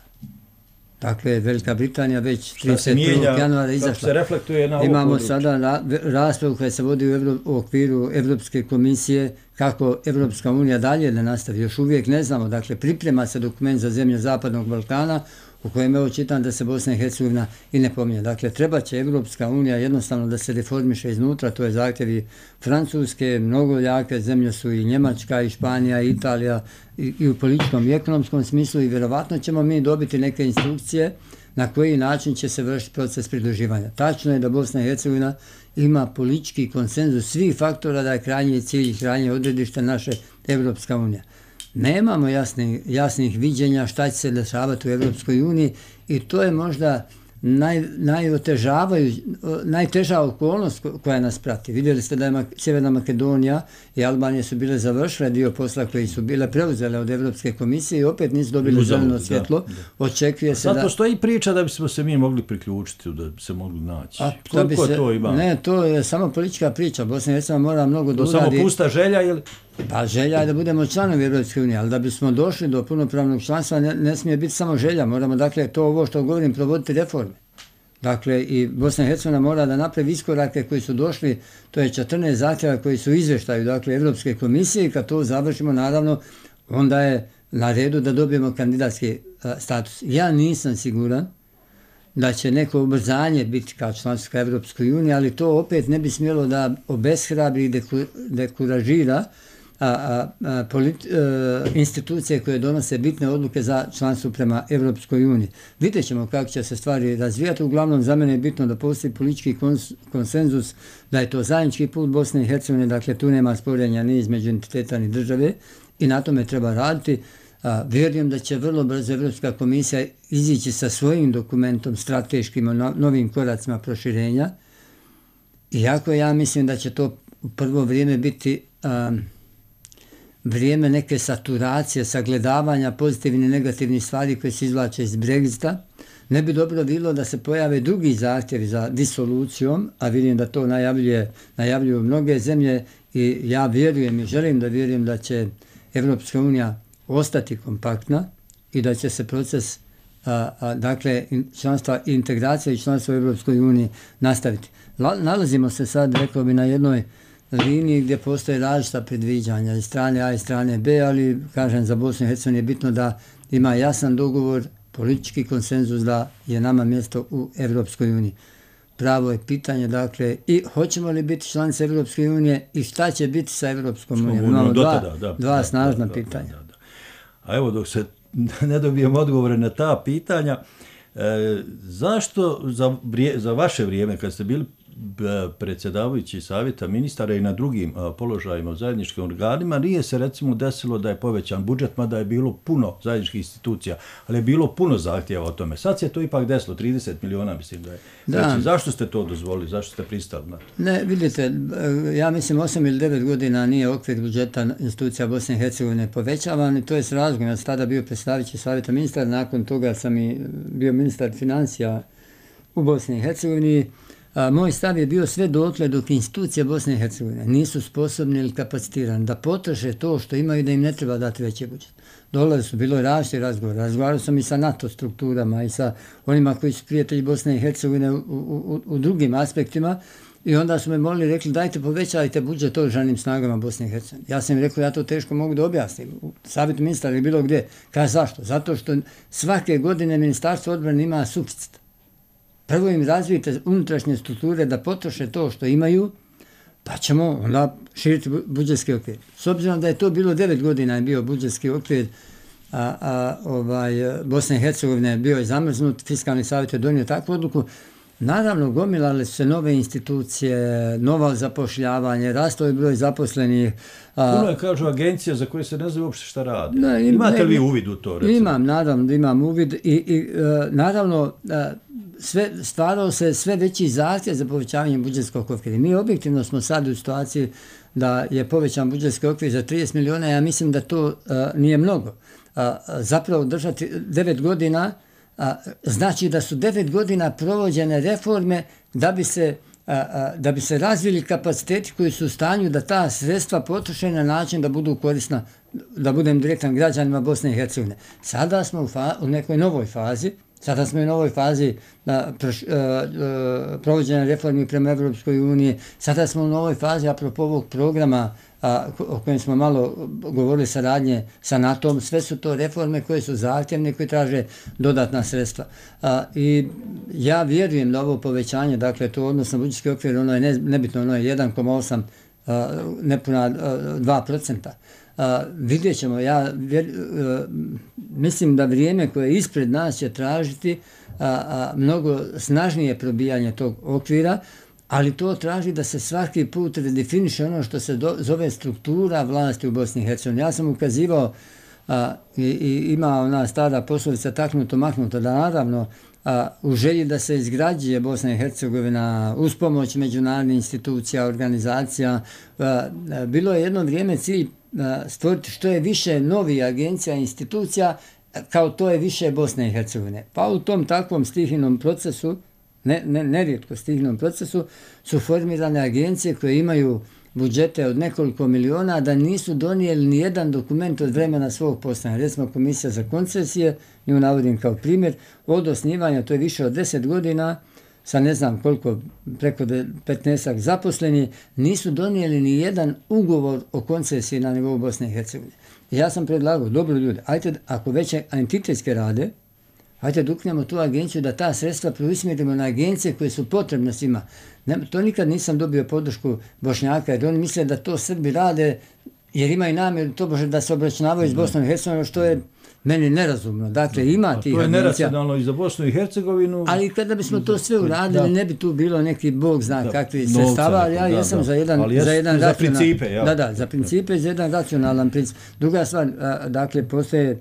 Dakle, Velika Britanija već 31. januara izašla. Se reflektuje na imamo područje. sada raspravu koja se vodi u okviru Evropske komisije kako Evropska unija dalje da nastavi. Još uvijek ne znamo. Dakle, priprema se dokument za zemlje Zapadnog Balkana u kojem evo čitam da se Bosna i Hercegovina i ne pominje. Dakle, treba će Evropska unija jednostavno da se reformiše iznutra, to je zahtjevi Francuske, mnogo jake zemlje su i Njemačka, i Španija, i Italija, i u političkom i ekonomskom smislu i vjerovatno ćemo mi dobiti neke instrukcije na koji način će se vršiti proces pridruživanja. Tačno je da Bosna i Hercegovina ima politički konsenzus svih faktora da je krajnji cilj i krajnje odredište naše Evropska unija. Nemamo jasnih viđenja šta će se dešavati u Evropskoj uniji i to je možda najteža okolnost koja nas prati. Vidjeli ste da je Sjeverna Makedonija i Albanija su bile završile dio posla koji su bile preuzele od Evropske komisije i opet nisu dobili zeleno svjetlo. Očekuje se zato stoji priča da bismo se mi mogli priključiti, da bi se mogli naći. Koliko to ima? Ne, to je samo politička priča. Bosna i Hercegovina mora mnogo da uradi. To samo pusta želja ili? Pa želja je da budemo članovi Evropske unije, ali da bismo došli do punopravnog članstva ne smije biti samo želja. Moramo, dakle, to ovo što govorim, provoditi reforme. Dakle, i Bosna i Hercegovina mora da napravi iskorake koji su došli, to je 14 zahtjeva koji su izvještaju, dakle, Evropske komisije i kad to završimo, naravno, onda je na redu da dobijemo kandidatski status. Ja nisam siguran da će neko ubrzanje biti kao članstvo Evropskoj uniji, ali to opet ne bi smjelo da obeshrabri i dekuražira institucije koje donose bitne odluke za članstvo prema Evropskoj uniji. Vidjet ćemo kako će se stvari razvijati. Uglavnom, za mene je bitno da postoji politički konsenzus, da je to zajednički put Bosne i Hercegovine, dakle tu nema sporenja ni između entiteta ni države i na tome treba raditi. Vjerujem da će vrlo brzo Evropska komisija izići sa svojim dokumentom strateškim novim koracima proširenja. Iako ja mislim da će to u prvo vrijeme biti vrijeme neke saturacije, sagledavanja pozitivnih i negativnih stvari koje se izvlače iz Brexita. Ne bi dobro bilo da se pojave drugi zahtjevi za disolucijom, a vidim da to najavljuju mnoge zemlje i ja vjerujem i želim da vjerujem da će Evropska unija ostati kompaktna i da će se proces dakle članstva i integracija i članstva u Evropskoj uniji nastaviti. Nalazimo se sad, rekao bi, na jednoj liniji gdje postoje različita predviđanja i strane A i strane B, ali kažem za Bosnu i Hercegovinu je bitno da ima jasan dogovor, politički konsenzus da je nama mjesto u Evropskoj uniji. Pravo je pitanje, dakle, i hoćemo li biti članice Evropske unije i šta će biti sa Evropskom unijom. Imamo dva snažna pitanja. A evo, dok se ne dobijemo odgovore na ta pitanja, zašto za vaše vrijeme, kad ste bili predsjedavajući Savjeta ministara i na drugim položajima u zajedničkim organima, nije se recimo desilo da je povećan budžet, mada je bilo puno zajedničkih institucija, ali je bilo puno zahtjeva o tome. Sad se to ipak desilo, 30 miliona mislim da je. Znači, zašto ste to dozvolili, zašto ste pristali na to? Ne, vidite, ja mislim 8 ili 9 godina nije okvir budžeta institucija Bosne i Hercegovine povećavan i to je s razlogom. Ja sam tada bio predsjedavajući Savjeta ministara, nakon toga sam i bio ministar financija u Bosni i Hercegovini. Moj stav je bio sve dotle dok institucije Bosne i Hercegovine nisu sposobni ili kapacitirani da potroše to što imaju, da im ne treba dati veći budžet. Bilo je različiti razgovor. Razgovarao sam i sa NATO strukturama i sa onima koji su prijatelji Bosne i Hercegovine u drugim aspektima i onda su me molili, rekli dajte povećajte budžet oružanim snagama Bosne i Hercegovine. Ja sam im rekao ja to teško mogu da objasnim. U Savjetu ministara ili bilo gdje. Kaže zašto? Zato što svake godine Ministarstvo odbrane ima suficit. Prvo im razvijete unutrašnje strukture da potroše to što imaju, pa ćemo onda širiti budžetski okvir. S obzirom da je to bilo 9 godina je bio budžetski okvir Bosne i Hercegovine bio je zamrznut, Fiskalni savjet je donio takvu odluku. Naravno, gomilale su se nove institucije, nova zapošljavanje, rastao je broj zaposlenih. Puno je, kažu, agencija za koje se ne zna uopšte šta radi. Imate li vi uvid u to? Recimo? Imam, naravno da imam uvid i naravno stvarao se sve veći zahtjev za povećavanje budžetskog okvira. Mi objektivno smo sad u situaciji da je povećan budžetski okvir za 30 miliona, ja mislim da to nije mnogo. Zapravo držati 9 godina znači da su 9 godina provođene reforme da bi se razvili kapaciteti koji su u stanju da ta sredstva potroše na način da budu korisna, da budem direktan, građanima Bosne i Hercegovine. Sada smo u nekoj novoj fazi. Sada smo u novoj fazi provođenja reformi prema Evropskoj uniji. Sada smo u novoj fazi, apropo ovog programa o kojem smo malo govorili, saradnje sa NATO-om. Sve su to reforme koje su zahtjevne, koje traže dodatna sredstva. I ja vjerujem da ovo povećanje, dakle to odnosno budžetski okvir, ono je nebitno, ono je 1,8, nepuna 2%. Vidjet ćemo, ja mislim da vrijeme koje je ispred nas će tražiti mnogo snažnije probijanje tog okvira, ali to traži da se svaki put redefiniše ono što se zove struktura vlasti u Bosni i Hercegovini. Ja sam ukazivao i ima ona stara poslovica taknuto, maknuto, da naravno u želji da se izgrađuje Bosna i Hercegovina uz pomoć međunarodnih institucija, organizacija, bilo je jedno vrijeme cilj stvoriti što je više novih agencija i institucija, kao to je više Bosne i Hercegovine. Pa u tom takvom stihijnom procesu, nerijetko stihijnom procesu, su formirane agencije koje imaju budžete od nekoliko miliona, da nisu donijeli ni jedan dokument od vremena svog postojanja. Recimo Komisija za koncesije, nju navodim kao primjer, od osnivanja, to je više od 10 godina, sa ne znam koliko, preko 15 zaposleni, nisu donijeli ni jedan ugovor o koncesiji na nivou Bosne i Hercegovine. Ja sam predlagao, dobro ljudi, ajte, ako već entitetske rade, ajte da uknemo tu agenciju, da ta sredstva preusmjerimo na agencije koje su potrebne svima. To nikad nisam dobio podršku Bošnjaka, jer oni misle da to Srbi rade, jer imaju namjeru to da se obračunavaju s Bosnom i Hercegovinom, što je meni nerazumno. Dakle, ima tih agencija. To je neracionalno i za Bosnu i Hercegovinu. Ali kada bismo to sve uradili, ne bi tu bilo neki bog zna kakvi sredstava, ali ja jesam za jedan za principe, za principe i za jedan racionalan princip. Druga stvar, dakle, postoje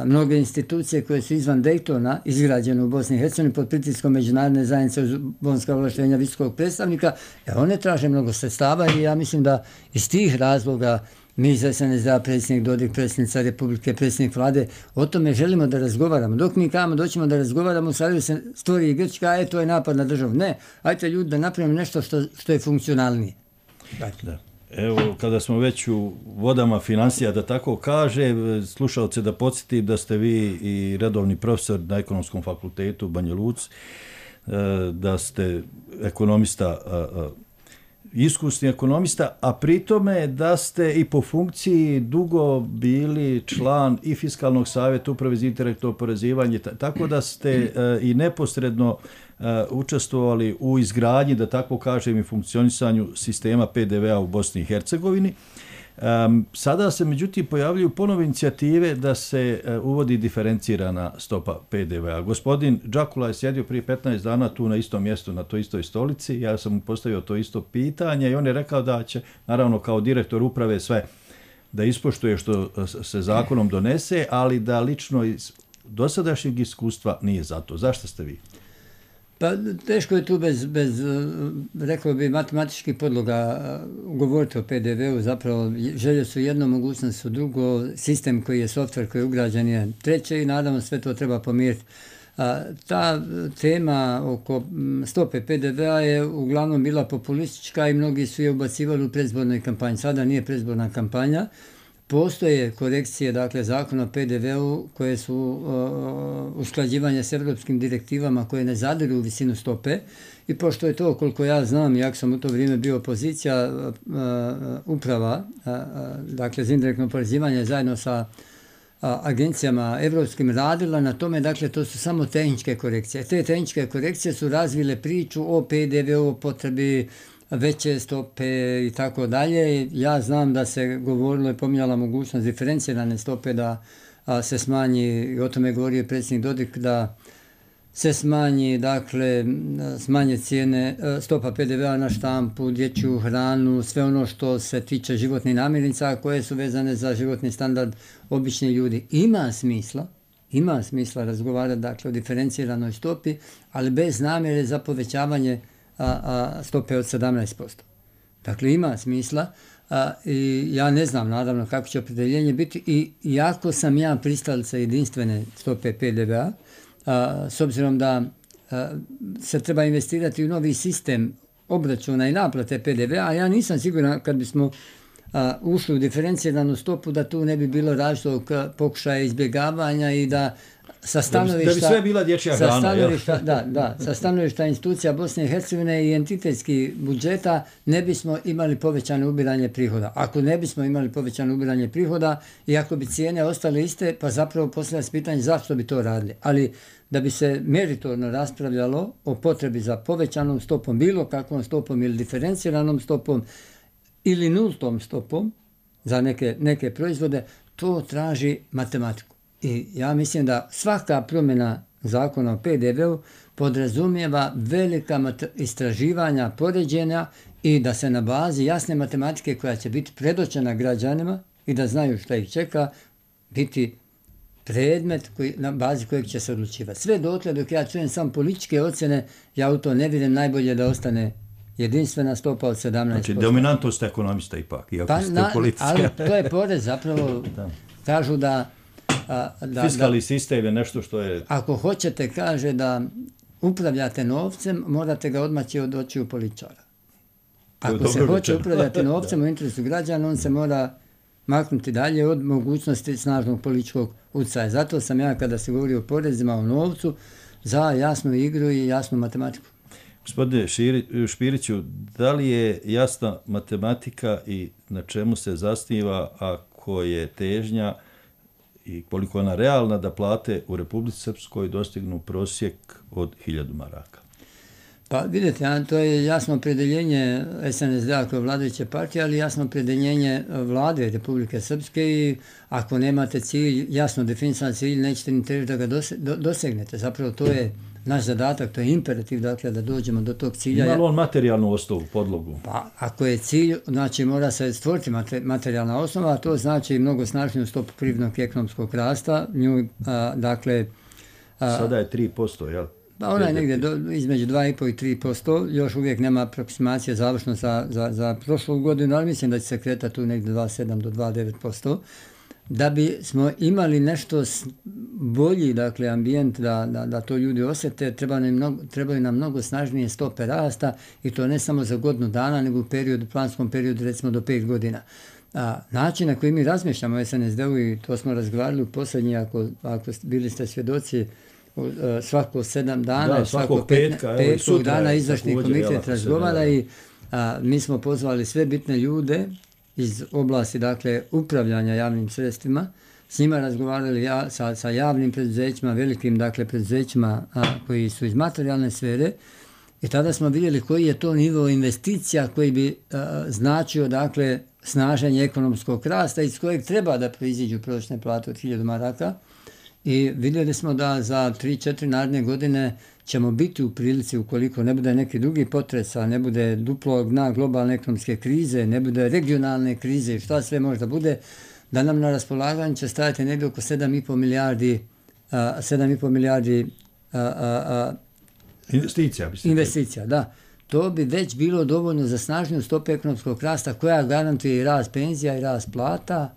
mnoge institucije koje su izvan Daytona izgrađene u Bosni i Hercegovini pod pritiskom međunarodne zajednice uz bonska ovlaštenja visokog predstavnika, one traže mnogo sredstava i ja mislim da iz tih razloga mi iz SNSD, predsjednik Dodik, predsjednica Republike, predsjednik vlade, o tome želimo da razgovaramo. Dok mi kamo doćemo da razgovaramo, sad se stvori i Grčka, to je napad na državu. Ne, ajte ljudi da napravimo nešto što je funkcionalnije. Dakle. Evo, kada smo već u vodama financija, da tako kaže, slušalce da podsjetim da ste vi i redovni profesor na Ekonomskom fakultetu u Banja Luci, da ste ekonomista, iskusni ekonomista, a pritome da ste i po funkciji dugo bili član i Fiskalnog savjeta, Uprave za indirektno oporezivanje, tako da ste i neposredno učestvovali u izgradnji, da tako kažem, i funkcionisanju sistema PDV-a u Bosni i Hercegovini. Sada se međutim pojavljuju ponovo inicijative da se uvodi diferencirana stopa PDV-a. Gospodin Džakula je sjedio prije 15 dana tu na istom mjestu, na toj istoj stolici. Ja sam mu postavio to isto pitanje i on je rekao da će, naravno kao direktor uprave, sve da ispoštuje što se zakonom donese, ali da lično iz dosadašnjeg iskustva nije za to. Zašto ste vi? Pa teško je tu bez rekao bi, matematičkih podloga govoriti o PDV-u. Zapravo želje su jedno, mogućnost su drugo, sistem koji je softver koji je ugrađen je treće i naravno sve to treba pomiriti. Ta tema oko stope PDV-a je uglavnom bila populistička i mnogi su je ubacivali u predizbornoj kampanji. Sada nije predizborna kampanja. Postoje korekcije, dakle, zakona o PDV-u koje su usklađivanje s evropskim direktivama koje ne zadiru u visinu stope i pošto je to, koliko ja znam, jak sam u to vrijeme bio opozicija, uprava, dakle, za indirektno oporezivanje zajedno sa agencijama evropskim radila na tome, dakle, to su samo tehničke korekcije. Te tehničke korekcije su razvile priču o PDV-u, o potrebi veće stope i tako dalje. Ja znam da se govorilo i pominjala mogućnost diferencirane stope da se smanji, i o tome je govorio predsjednik Dodik, da se smanji, dakle, smanje cijene, stopa PDV-a na štampu, dječju hranu, sve ono što se tiče životnih namirnica koje su vezane za životni standard običnih ljudi. Ima smisla razgovarati, dakle, o diferenciranoj stopi, ali bez namjere za povećavanje stope od 17%. Dakle, ima smisla i ja ne znam, naravno, kako će opredjeljenje biti, i iako sam ja pristalica jedinstvene stope PDV-a, s obzirom da se treba investirati u novi sistem obračuna i naplate PDV-a, a ja nisam siguran kad bismo ušli u diferenciranu stopu da tu ne bi bilo različitog pokušaja izbjegavanja i da sa stanovišta... Da bi sve bila dječja hrana. Sa stanovišta institucija Bosne i Hercegovine i entitetskih budžeta ne bismo imali povećano ubiranje prihoda. Ako ne bismo imali povećano ubiranje prihoda i ako bi cijene ostale iste, pa zapravo postavlja se pitanje zašto bi to radili. Ali da bi se meritorno raspravljalo o potrebi za povećanom stopom, bilo kakvom stopom ili diferenciranom stopom ili nultom stopom za neke proizvode, to traži matematiku. I ja mislim da svaka promjena zakona o PDV-u podrazumijeva velika istraživanja, poređenja i da se na bazi jasne matematike koja će biti predočena građanima i da znaju šta ih čeka, biti predmet na bazi kojeg će se odlučivati. Sve dotle dok ja čujem samo političke ocjene, ja u to ne vidim, najbolje da ostane jedinstvena stopa od 17%. Znači, dominantnost ekonomista ipak, iako ste politička. Ali to je porez zapravo, kažu da... Fiskalni sistem je nešto što je... Ako hoćete, kaže da upravljate novcem, morate ga odmaći od očiju političara. Ako se hoće upravljati novcem u interesu građana, on se mora maknuti dalje od mogućnosti snažnog političkog utjecaja. Zato sam ja, kada se govori o porezima, o novcu, za jasnu igru i jasnu matematiku. Gospodine Špiriću, da li je jasna matematika i na čemu se zasniva ako je težnja i koliko je ona realna da plate u Republici Srpskoj dostignu prosjek od 1000 maraka? Pa vidite, to je jasno opredjeljenje SNSD-a kao vladajuće partije, ali jasno opredjeljenje vlade Republike Srpske i ako nemate cilj, jasno definisan cilj, nećete ni težiti da ga dosegnete. Zapravo to je naš zadatak, to je imperativ, dakle, da dođemo do tog cilja. Ima li on materijalnu osnovu, podlogu? Pa, ako je cilj, znači mora se stvoriti materijalna osnova, a to znači mnogo snažniju stopu privrednog i ekonomskog rasta. Dakle... Sada je 3%, jel? Pa ona je negdje između 2,5 i 3%, još uvijek nema aproksimacije završno za prošlu godinu, ali mislim da će se kretati tu negdje 2,7 do 2,9%. Da bi smo imali nešto bolji, dakle, ambijent da to ljudi osjete, trebaju nam mnogo snažnije stope rasta i to ne samo za godinu dana, nego u planskom periodu recimo do 5 godina. Način na koji mi razmišljamo o SNSD-u, i to smo razgovarali u posljednji, ako bili ste svjedoci, svako 7 dana, svakog petog dana izvršni komitet razgovara i mi smo pozvali sve bitne ljude iz oblasti, dakle, upravljanja javnim sredstvima, s njima razgovarali sa javnim preduzećima, velikim, dakle, preduzećima koji su iz materijalne sfere, i tada smo vidjeli koji je to nivo investicija koji bi značio, dakle, snaženje ekonomskog rasta iz kojeg treba da proiziđu prosječne plate od 1000 maraka. I vidjeli smo da za 3-4 naredne godine ćemo biti u prilici, ukoliko ne bude neki drugi potresa, ne bude duplog dna globalne ekonomske krize, ne bude regionalne krize i šta sve možda bude, da nam na raspolaganju će stajati negdje oko 7,5 milijardi investicija, da. To bi već bilo dovoljno za snažniju stopu ekonomskog rasta koja garantuje i rast penzija i rast plata.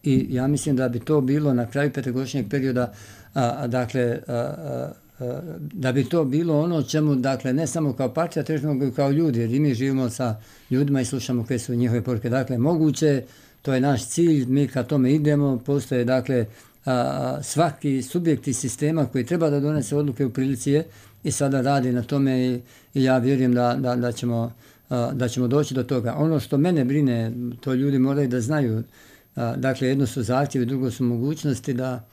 I ja mislim da bi to bilo na kraju petogodišnjeg perioda, dakle, da bi to bilo ono čemu, dakle, ne samo kao partija težimo, nego kao ljudi, jer i mi živimo sa ljudima i slušamo koje su njihove poruke. Dakle, moguće, to je naš cilj, mi ka tome idemo, postoje, dakle, svaki subjekti sistema koji treba da donese odluke u prilici je i sada radi na tome i ja vjerujem da ćemo doći do toga. Ono što mene brine, to ljudi moraju da znaju. Dakle, jedno su zahtjevi, drugo su mogućnosti da,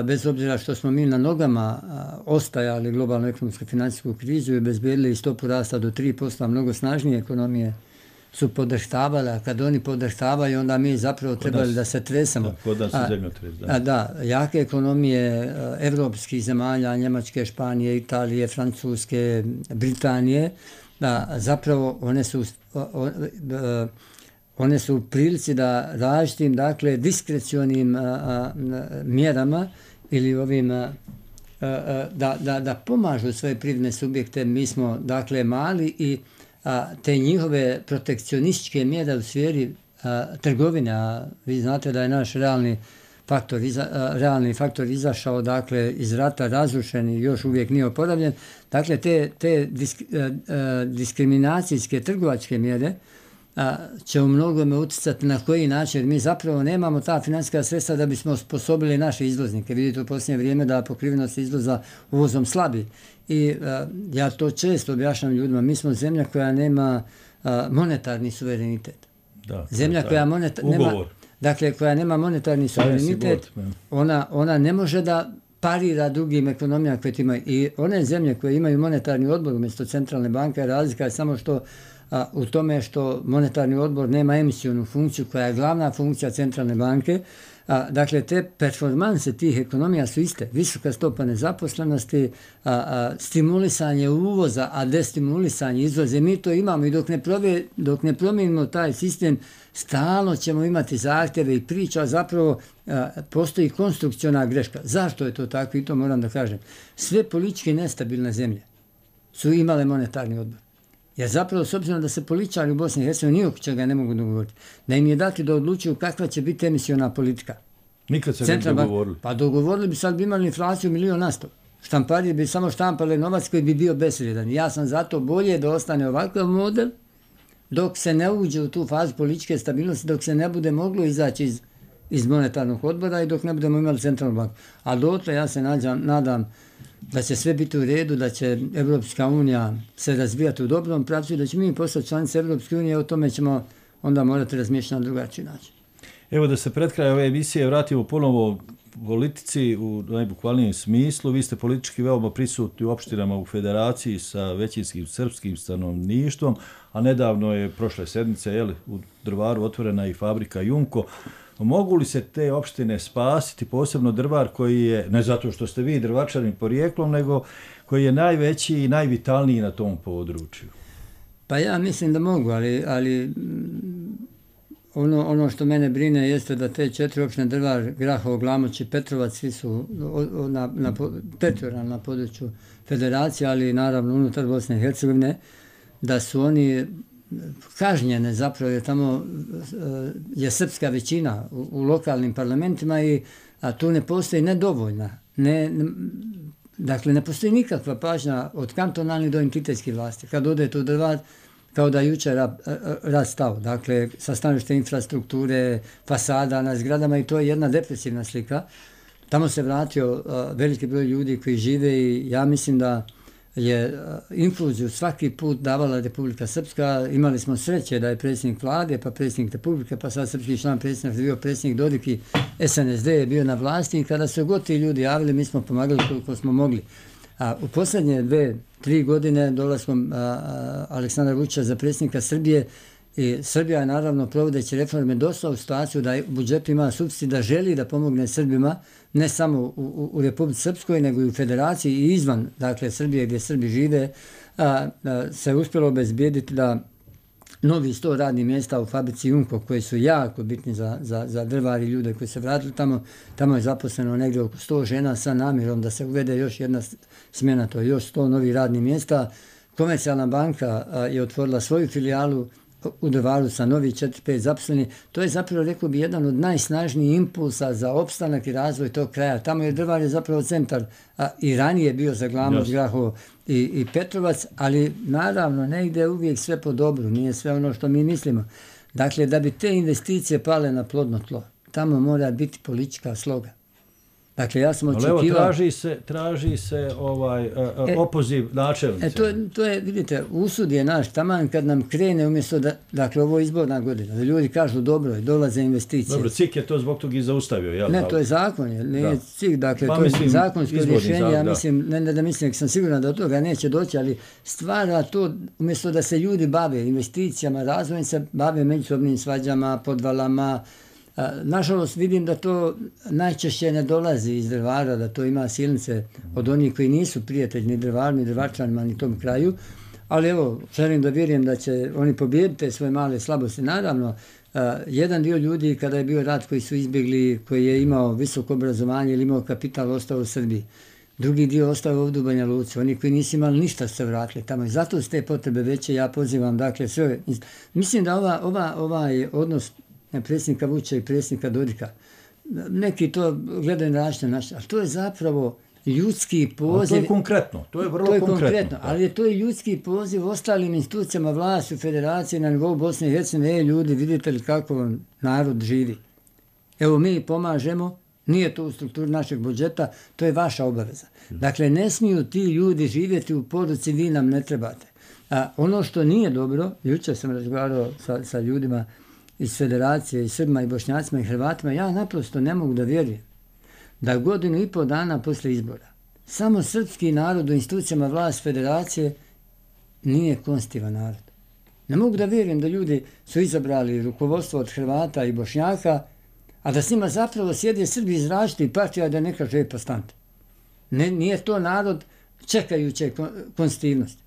bez obzira što smo mi na nogama ostajali globalnu ekonomsku financijsku krizu i obezbedili stopu rasta do 3%, mnogo snažnije ekonomije su podrhtavali, a kad oni podrhtavaju, onda mi zapravo trebali da se tresamo. Kod nas je zemljotres, da. Da, jake ekonomije evropskih zemalja, Njemačke, Španije, Italije, Francuske, Britanije, da zapravo one su u prilici da različitim, dakle, diskrecionim mjerama ili ovim da pomažu svoje privredne subjekte. Mi smo, dakle, mali i te njihove protekcionističke mjere u sferi trgovine, a vi znate da je naš realni faktor izašao, dakle, iz rata, razrušen i još uvijek nije oporavljen. Dakle, te diskriminacijske trgovačke mjere će u mnogome utjecati na koji način. Mi zapravo nemamo ta financijska sredstva da bismo osposobili naše izvoznike. Vidite u posljednje vrijeme da pokrivenost izvoza uvozom slabi. I ja to često objašnjam ljudima. Mi smo zemlja koja nema monetarni suverenitet. Zemlja koja koja nema monetarni suverenitet, ona ne može da parira drugim ekonomijama koje imaju. I one zemlje koje imaju monetarni odbor umjesto centralne banke, razlika je samo što u tome što monetarni odbor nema emisionu funkciju koja je glavna funkcija centralne banke. Dakle, te performanse tih ekonomija su iste. Visoka stopa nezaposlenosti, stimulisanje uvoza, a destimulisanje izvoza. Mi to imamo i dok ne promijenimo taj sistem, stalno ćemo imati zahtjeve i priča, zapravo postoji konstrukciona greška. Zašto je to tako? I to moram da kažem. Sve politički nestabilne zemlje su imale monetarni odbor. Jer zapravo, s obzirom da se političari u Bosni i Hercegovini oko čega ne mogu dogovoriti, da im je dati da odlučuju kakva će biti emisiona politika. Nikad se ne dogovorili. Pa dogovorili bi, sad bi imali inflaciju 1.000.000%. Štamparije bi samo štampale novac koji bi bio bezvrijedan. Ja sam zato bolje da ostane ovakav model dok se ne uđe u tu fazu političke stabilnosti, dok se ne bude moglo izaći iz monetarnog odbora i dok ne budemo imali centralnu banku. A dotle ja se nadam da će sve biti u redu, da će Evropska unija se razvijati u dobrom pravcu i da će mi postati članice Evropske unije, o tome ćemo onda morati razmišljati na drugačiji način. Evo da se pred kraj ove emisije vratimo ponovo politici u najbukvalnijem smislu. Vi ste politički veoma prisutni u opštinama u federaciji sa većinskim srpskim stanovništvom, a nedavno je prošle sedmice u Drvaru otvorena i fabrika Jumko. Mogu li se te opštine spasiti, posebno Drvar koji je, ne zato što ste vi drvačanin porijeklom, nego koji je najveći i najvitalniji na tom području? Pa ja mislim da mogu, ali ono što mene jeste da te 4 opštine Drvar, Grahovo, Glamoč i Petrovac svi su teritorijalno na području federacije, ali naravno unutar Bosne i Hercegovine, da su oni kažnjene zapravo, jer tamo je srpska većina u lokalnim parlamentima a tu ne postoji nedovoljna. Dakle, ne postoji nikakva pažnja od kantonalnih do entitetskih vlasti. Kad odete u Drvar, kao da je jučer rat stao. Dakle, sa stanovišta infrastrukture, fasada na zgradama i to je jedna depresivna slika. Tamo se vratio veliki broj ljudi koji žive i ja mislim da je infuziju svaki put davala Republika Srpska. Imali smo sreće da je predsjednik vlade, pa predsjednik Republike, pa sad srpski član predsjednik, bio predsjednik Dodik i SNSD je bio na vlasti i kada su god ti ljudi javili, mi smo pomagali koliko smo mogli. U posljednje 2-3 godine dolaskom Aleksandra Vučića za predsjednika Srbije i Srbija je naravno provodeći reforme došla u situaciju da u budžetu ima suficit, da želi da pomogne Srbima ne samo u Republici Srpskoj nego i u federaciji i izvan, dakle Srbije gdje Srbi žive, se uspjelo obezbijediti da novi 100 radnih mjesta u fabrici Jumko koji su jako bitni za Drvar i ljude koji se vratili tamo je zaposleno negdje oko 100 žena sa namjerom da se uvede još jedna smjena, to je još 100 novih radnih mjesta. Komercijalna banka je otvorila svoju filijalu u Drvaru sa novih 4-5 zaposleni. To je zapravo, rekao bi, jedan od najsnažnijih impulsa za opstanak i razvoj tog kraja. Tamo je Drvar je zapravo centar, i ranije bio za Glamoč, Grahovo i Petrovac, ali naravno ne ide uvijek sve po dobru, nije sve ono što mi mislimo. Dakle, da bi te investicije pale na plodno tlo, tamo mora biti politička sloga. Dakle, ja sam očekivao... Ali evo, traži se opoziv načelnice. To je, vidite, usud je naš taman kad nam krene umjesto da, dakle, ovo je izborna godina, da ljudi kažu dobro je, dolaze investicije. Dobro, CIK je to zbog toga i zaustavio, jel? Ne, to je zakon, nije CIK, dakle, to je zakonsko rješenje, ja mislim, ne mislim, sam siguran da od toga neće doći, ali stvara to, umjesto da se ljudi bave investicijama, razvojem se bave međusobnim svađama, podvalama. Nažalost, vidim da to najčešće ne dolazi iz Drvara, da to ima silnice od onih koji nisu prijatelji ni Drvaru, ni Drvarčanima, ni tom kraju. Ali evo, želim da vjerujem da će oni pobijediti svoje male slabosti. Naravno, jedan dio ljudi kada je bio rat koji su izbjegli, koji je imao visoko obrazovanje ili imao kapital, ostao u Srbiji. Drugi dio ostao ovdje u Banja Luci. Oni koji nisu imali ništa se vratili tamo. I zato su te potrebe veće. Ja pozivam, dakle, sve. Mislim da ovaj odnos predsjednika Vučića i predsjednika Dodika, neki to gledaju na različite načine, ali to je zapravo ljudski poziv. To je konkretno, to je vrlo konkretno. Ali je to i ljudski poziv ostalim institucijama vlasti u federaciji na nivou Bosne i Hercegovine. Ljudi, vidite li kako narod živi? Evo, mi pomažemo, nije to u strukturi našeg budžeta, to je vaša obaveza. Dakle, ne smiju ti ljudi živjeti u poruci, vi nam ne trebate. Ono što nije dobro, jučer sam razgovarao sa ljudima iz federacije, i Srbima, i Bošnjacima, i Hrvatima, ja naprosto ne mogu da vjerujem da 1,5 dana posle izbora samo srpski narod u institucijama vlast federacije nije konstitutivan narod. Ne mogu da vjerujem da ljudi su izabrali rukovodstvo od Hrvata i Bošnjaka, a da s njima zapravo sjede Srbi iz različitih partija, da ne kaže postante. Nije to narod čekajuće konstitutivnosti.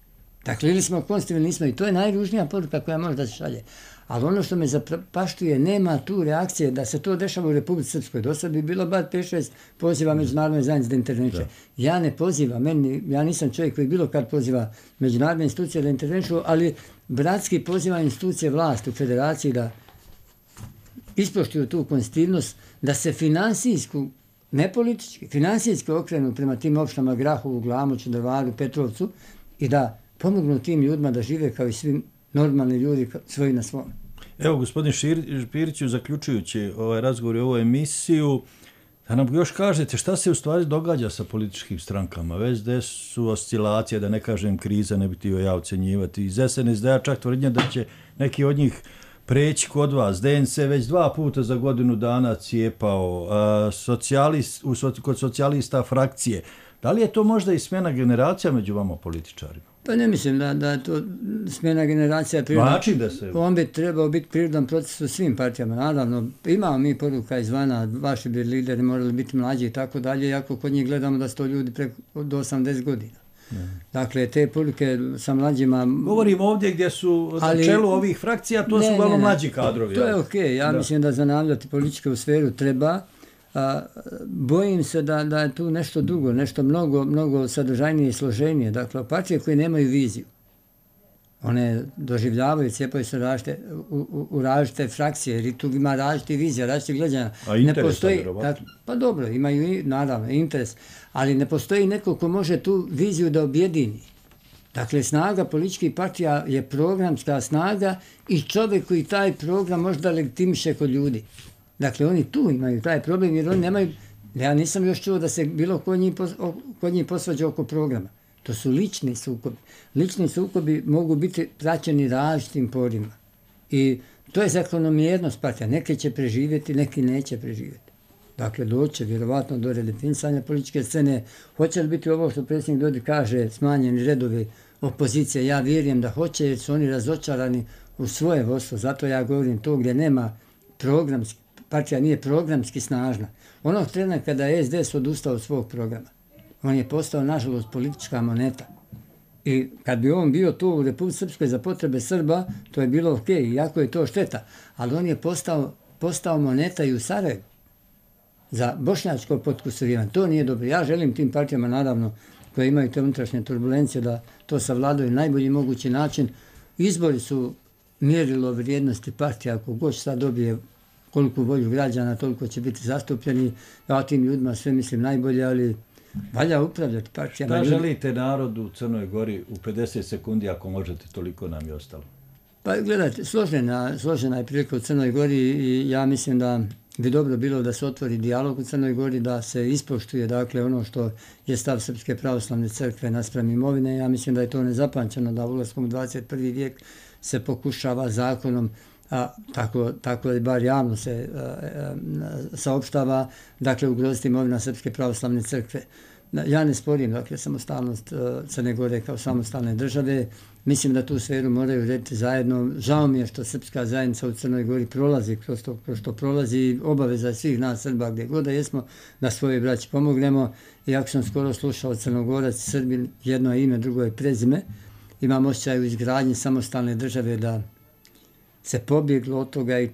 Dakle, ili smo konstitutivni, nismo, i to je najružnija poruka koja može da se šalje. Ali ono što me zapaštuje, nema tu reakcije da se to dešava u Republici Srpskoj. Do sad bi bilo bar 5-6 poziva međunarodne zajednice da interveniše. Ja ne pozivam, ja nisam čovjek koji bilo kad poziva međunarodne institucije da intervenišu, ali bratski poziva institucije vlasti u federaciji da ispoštuju tu konstitutivnost, da se finansijsku, ne politički, finansijski okrenu prema tim opštinama Grahovu, Glamoču, Drvaru, Petrovcu i da pomognu tim ljudima da žive kao i svi normalni ljudi svoji na svom. Evo, gospodin Špiriću, zaključujući ovaj razgovor i ovu emisiju, da nam još kažete šta se u stvari događa sa političkim strankama, već gde su oscilacije, da ne kažem kriza, ne bi htio ja ocenjivati. Iz SNSD-a čak tvrdnja da će neki od njih preći kod vas. DNC već 2 puta za godinu dana cijepao, kod socijalista frakcije. Da li je to možda i smjena generacija među vama političarima? Pa ne mislim da je to smjena generacija prirodan. Način da se... On bi trebao biti prirodan proces u svim partijama. Naravno, imamo mi poruka izvana, vaši bi lideri morali biti mlađi i tako dalje, iako kod njih gledamo da su to ljudi do 80 godina. Dakle, te poruke sa mlađima... Govorim ovdje gdje su na čelu ovih frakcija, to su uglavnom mlađi kadrovi. To je okej. Ja mislim da zanavljati političku sferu treba. Bojim se da je tu nešto drugo, nešto mnogo sadržajnije i složenije. Dakle, partije koje nemaju viziju, one doživljavaju, cijepaju se u različite frakcije, jer tu ima različite vizije, različite gledanja. A interes je pa dobro, imaju naravno interes, ali ne postoji neko ko može tu viziju da objedini. Dakle, snaga političkih partija je programska snaga i čovjek koji taj program možda legitimiše kod ljudi. Dakle, oni tu imaju taj problem jer oni nemaju, ja nisam još čuo da se bilo kod njih posvađa oko programa. To su lični sukobi. Lični sukobi mogu biti praćeni različitim porima. I to je zakonomjernost partija. Neke će preživjeti, neki neće preživjeti. Dakle, doće vjerovatno do redefinisanja političke scene. Hoće li biti ovo što predsjednik Dodik kaže, smanjeni redovi opozicije? Ja vjerujem da hoće jer su oni razočarani u svoje vodstvo. Zato ja govorim to gdje nema programski. Partija nije programski snažna. Onog trena kada je SDS odustao od svog programa, on je postao, nažalost, politička moneta. I kad bi on bio tu u Republici Srpskoj za potrebe Srba, to je bilo okej, iako je to šteta. Ali on je postao moneta i u Sarajevu za bošnjačko potkusurivanje. To nije dobro. Ja želim tim partijama, naravno, koje imaju te unutrašnje turbulencije, da to savladaju na najbolji mogući način. Izbori su mjerilo vrijednosti partija. Ako god sad dobije koliko volju građana, toliko će biti zastupljeni. Ja tim ljudima sve mislim najbolje, ali valja upravljati partijama. Šta želite narodu u Crnoj Gori u 50 sekundi, ako možete, toliko nam je ostalo? Pa gledajte, složena je prilika u Crnoj Gori i ja mislim da bi dobro bilo da se otvori dijalog u Crnoj Gori, da se ispoštuje dakle ono što je stav Srpske pravoslavne crkve naspram imovine. Ja mislim da je to nezapamćeno da ulaskom u 21. vijek se pokušava zakonom, tako je bar javno se saopštava, dakle ugroziti imovina Srpske pravoslavne crkve. Ja ne sporim dakle samostalnost Crne Gore kao samostalne države. Mislim da tu sferu moraju urediti zajedno. Žao mi je što srpska zajednica u Crnoj Gori prolazi kroz što prolazi. Obaveza svih nas Srba gdje god da jesmo da svoje braći pomognemo. Iako sam skoro slušao Crnogorac i Srbin, jedno je ime, drugo je prezime. Imam osjećaj u izgradnji samostalne države da se pobjeglo od toga i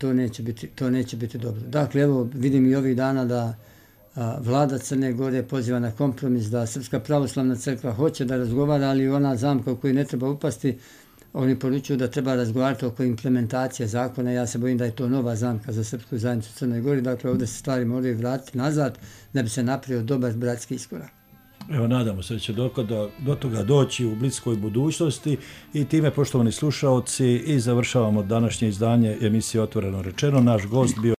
to neće biti dobro. Dakle, evo vidim i ovih dana da vlada Crne Gore poziva na kompromis, da Srpska pravoslavna crkva hoće da razgovara, ali ona zamka u koju ne treba upasti, oni poručuju da treba razgovarati oko implementacije zakona. Ja se bojim da je to nova zamka za srpsku zajednicu u Crnoj Gori. Dakle, ovdje se stvari moraju vratiti nazad da bi se napravio dobar bratski iskorak. Evo, nadamo se da će do toga doći u bliskoj budućnosti i time, poštovani slušaoci, i završavamo današnje izdanje emisije Otvoreno rečeno. Naš gost bio